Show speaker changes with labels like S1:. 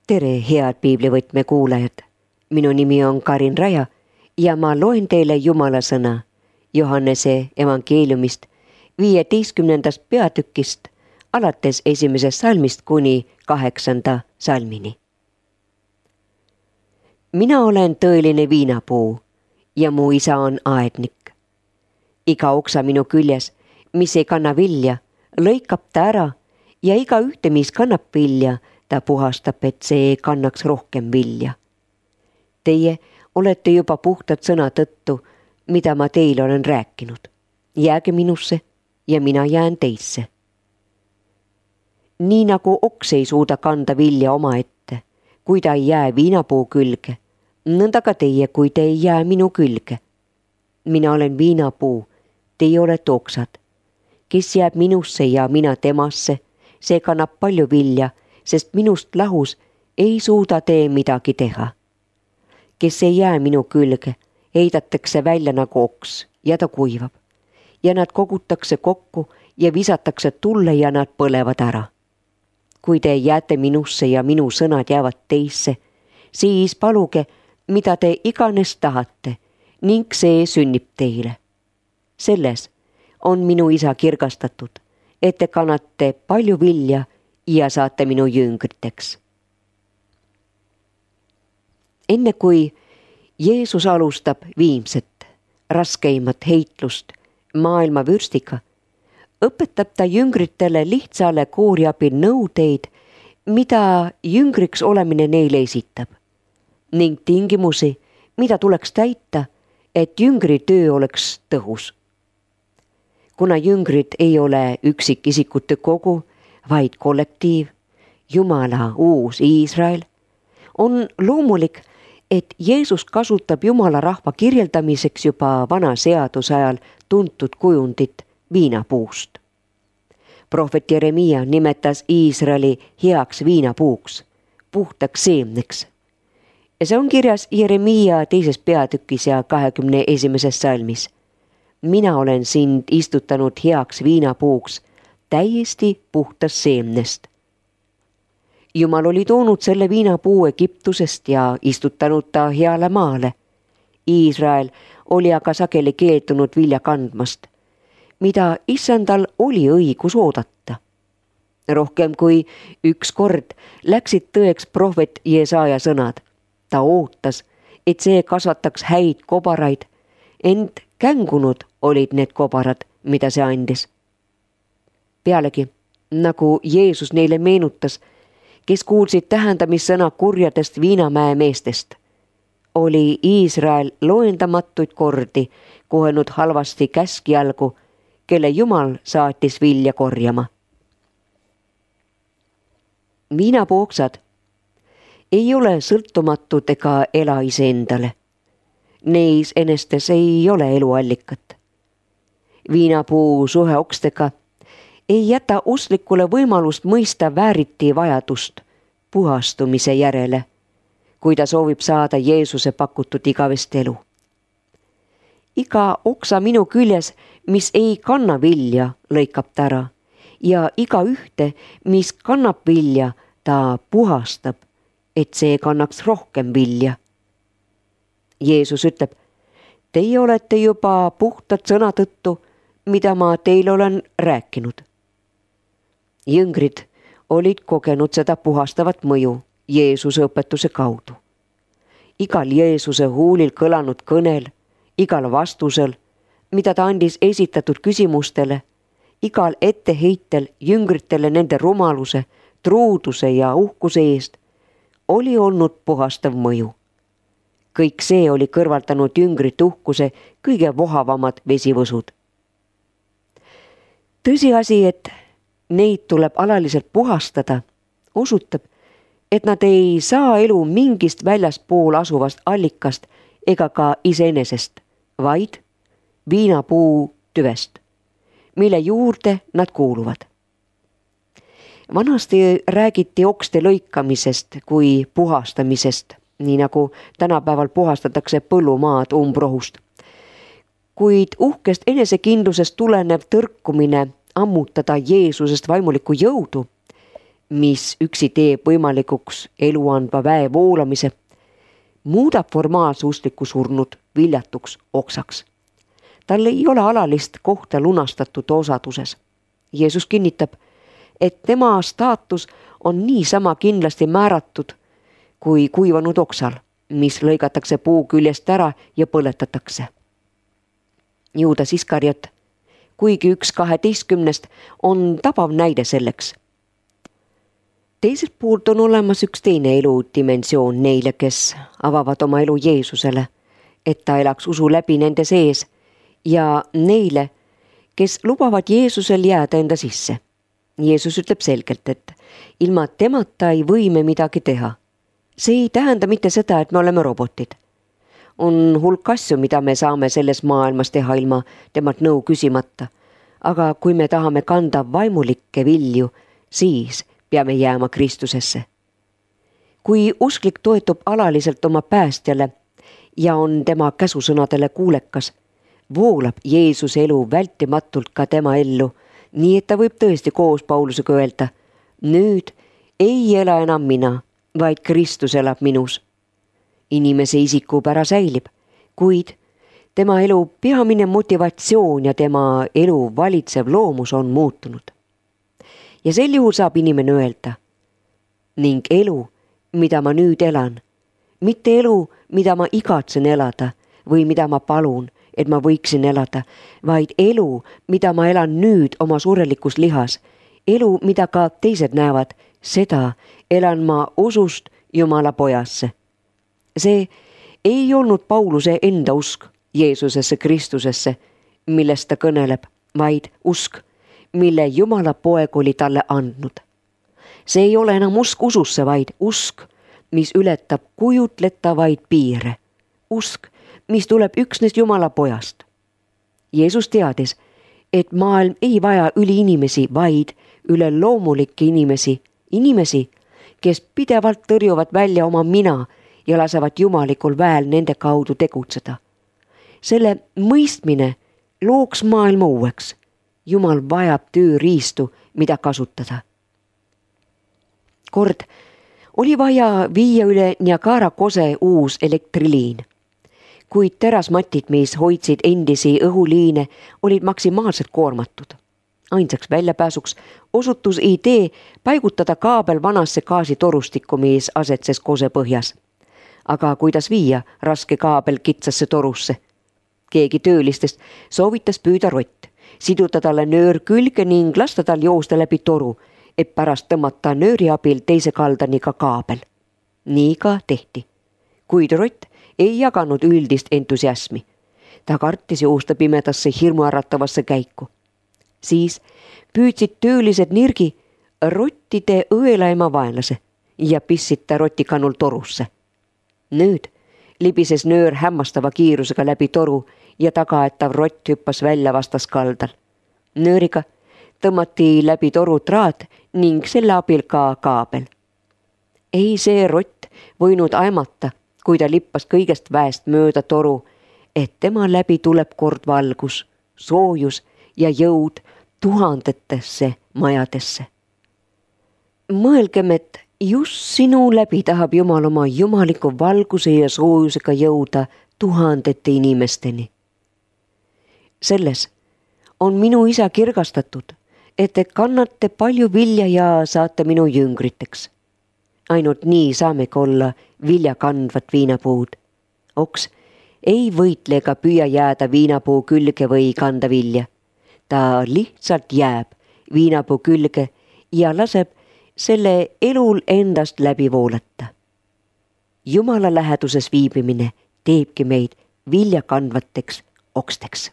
S1: Tere, head piiblivõtme kuulajad! Minu nimi on Karin Raja ja ma loen teile Jumala sõna Johannese evangeeliumist 15. peatükist alates 1. salmist kuni 8. salmini. Mina olen tõeline viinapuu ja mu isa on aednik. Iga oksa minu küljes, mis ei kanna vilja, lõikab ta ära ja iga ühte, mis kannab vilja, ta puhastab, et see kannaks rohkem vilja. Teie olete juba puhtad sõna tõttu, mida ma teile olen rääkinud. Jääge minusse ja mina jään teisse. Nii nagu oks ei suuda kanda vilja omaette, kui ta ei jää viinapuu külge, nõnda ka teie, kui te ei jää minu külge. Mina olen viinapuu, teie olete oksad. Kes jääb minusse ja mina temasse, see kannab palju vilja, sest minust lahus ei suuda tee midagi teha. Kes ei jää minu külge, heidatakse välja nagu oks ja ta kuivab. Ja nad kogutakse kokku ja visatakse tulle ja nad põlevad ära. Kui te jääte minusse ja minu sõnad jäävad teisse, siis paluge, mida te iganes tahate, ning see sünnib teile. Selles on minu isa kirgastatud, et te kannate palju vilja ja saate minu jüngriteks. Enne kui Jeesus alustab viimset, raskeimat heitlust maailma vürstiga, õpetab ta jüngritele lihtsa allegoori abil nõudeid, mida jüngriks olemine neile esitab, ning tingimusi, mida tuleks täita, et jüngri töö oleks tõhus. Kuna jüngrid ei ole üksikisikute kogu, vaid kollektiiv, Jumala uus Iisrael, on loomulik, et Jeesus kasutab Jumala rahva kirjeldamiseks juba vana seaduse ajal tuntud kujundit viinapuust. Prohvet Jeremia nimetas Iisraeli heaks viinapuuks, puhtaks seemneks. Ja see on kirjas Jeremia 2. peatükis ja 21. salmis. Mina olen sind istutanud heaks viinapuuks, täiesti puhtast seemnest. Jumal oli toonud selle viinapuu Egiptusest ja istutanud ta heale maale. Iisrael oli aga sageli keeldunud vilja kandmast, mida issandal oli õigus oodata. Rohkem kui üks kord läksid tõeks prohvet Jesaja sõnad. Ta ootas, et see kasvataks häid kobaraid, ent kängunud olid need kobarad, mida see andis. Pealegi, nagu Jeesus neile meenutas, kes kuulsid tähendamissõna kurjadest Viinamäe meestest, oli Iisrael loendamatuid kordi kohenud halvasti käskjalgu, kelle Jumal saatis vilja korjama. Viinapooksad ei ole sõltumatud ega ela iseendale. Neis enestes ei ole eluallikat. Viinapuu suhe okstega ei jäta usklikule võimalust mõista vääriti vajadust puhastumise järele, kui ta soovib saada Jeesuse pakutud igavest elu. Iga oksa minu küljes, mis ei kanna vilja, lõikab ta ära ja iga ühte, mis kannab vilja, ta puhastab, et see kannaks rohkem vilja. Jeesus ütleb, teie olete juba puhtad sõna tõttu, mida ma teile olen rääkinud. Jüngrid olid kogenud seda puhastavat mõju Jeesuse õpetuse kaudu. Igal Jeesuse huulil kõlanud kõnel, igal vastusel, mida ta andis esitatud küsimustele, igal etteheitel jüngritele nende rumaluse, truuduse ja uhkuse eest, oli olnud puhastav mõju. Kõik see oli kõrvaldanud jüngrite uhkuse kõige vohavamad vesivõsud. Tõsiasi, et neid tuleb alaliselt puhastada, osutab, et nad ei saa elu mingist väljaspool asuvast allikast ega ka iseenesest, vaid viinapuu tüvest, mille juurde nad kuuluvad. Vanasti räägiti okste lõikamisest kui puhastamisest, nii nagu tänapäeval puhastatakse põllumaad umbrohust. Kuid uhkest enesekindlusest tulenev tõrkumine ammutada Jeesusest vaimulikku jõudu mis üksi teeb võimalikuks elu andva väe voolamise, muudab formaalse uskliku surnud viljatuks oksaks. Tal ei ole alalist kohta lunastatud osaduses. Jeesus kinnitab, et tema staatus on niisama kindlasti määratud kui kuivanud oksal, mis lõigatakse puu küljest ära ja põletatakse. Juudas Iskariot, kuigi üks 12, on tabav näide selleks. Teiselt poolt on olemas üks teine eludimensioon neile, kes avavad oma elu Jeesusele, et ta elaks usu läbi nende sees, ja neile, kes lubavad Jeesusel jääda enda sisse. Jeesus ütleb selgelt, et ilma temata ei või me midagi teha. See ei tähenda mitte seda, et me oleme robotid. On hulk asju, mida me saame selles maailmas teha ilma temalt nõu küsimata. Aga kui me tahame kanda vaimulikke vilju, siis peame jääma Kristusesse. Kui usklik toetub alaliselt oma päästjale ja on tema käsusõnadele kuulekas, voolab Jeesuse elu vältimatult ka tema ellu, nii et ta võib tõesti koos Paulusega öelda, nüüd ei ela enam mina, vaid Kristus elab minus. Inimese isikupära säilib, kuid tema elu peamine motivatsioon ja tema elu valitsev loomus on muutunud. Ja sel juhul saab inimene öelda, ning elu, mida ma nüüd elan, mitte elu, mida ma igatsen elada või mida ma palun, et ma võiksin elada, vaid elu, mida ma elan nüüd oma surelikus lihas, elu, mida ka teised näevad, seda elan ma usust Jumala pojasse. See ei olnud Pauluse enda usk Jeesusesse Kristusesse, millest ta kõneleb, vaid usk, mille Jumala poeg oli talle andnud. See ei ole enam usk ususse, vaid usk, mis ületab kujutletavaid piire. Usk, mis tuleb üksnes Jumala pojast. Jeesus teadis, et maailm ei vaja üliinimesi, vaid üleloomulikke inimesi, kes pidevalt tõrjuvad välja oma mina ja lasevad jumalikul väel nende kaudu tegutseda. Selle mõistmine looks maailma uueks. Jumal vajab tööriistu, mida kasutada. Kord oli vaja viia üle Niagara kose uus elektriliin. Kuid terasmatid, mis hoidsid endisi õhuliine, olid maksimaalselt koormatud. Ainsaks väljapääsuks osutus idee paigutada kaabel vanasse gaasitorustikku, mis asetses kose põhjas. Aga kuidas viia raske kaabel kitsasse torusse? Keegi töölistest soovitas püüda rott, siduda talle nöör külge ning lasta tal joosta läbi toru, et pärast tõmmata nööri abil teise kaldani ka kaabel. Nii ka tehti. Kuid rott ei jaganud üldist entusiasmi. Ta kartis joosta pimedasse hirmuäratavasse käiku. Siis püüdsid töölised nirgi rottide õelaima vaenlase ja pissid ta rotikannul torusse. Nüüd libises nöör hämmastava kiirusega läbi toru ja tagaetav rott hüppas välja vastaskaldal. Nööriga tõmmati läbi toru traat ning selle abil ka kaabel. Ei see rott võinud aimata, kui ta lippas kõigest väest mööda toru, et tema läbi tuleb kord valgus, soojus ja jõud tuhandetesse majadesse. Mõelgem, et just sinu läbi tahab Jumal oma jumaliku valguse ja soojusega jõuda tuhandete inimesteni. Selles on minu isa kirgastatud, et te kannate palju vilja ja saate minu jüngriteks. Ainult nii saamegi olla vilja kandvat viinapuud. Oks ei võitle ega püüa jääda viinapuu külge või kanda vilja. Ta lihtsalt jääb viinapuu külge ja laseb selle elul endast läbi voolata. Jumala läheduses viibimine teebki meid vilja kandvateks oksteks.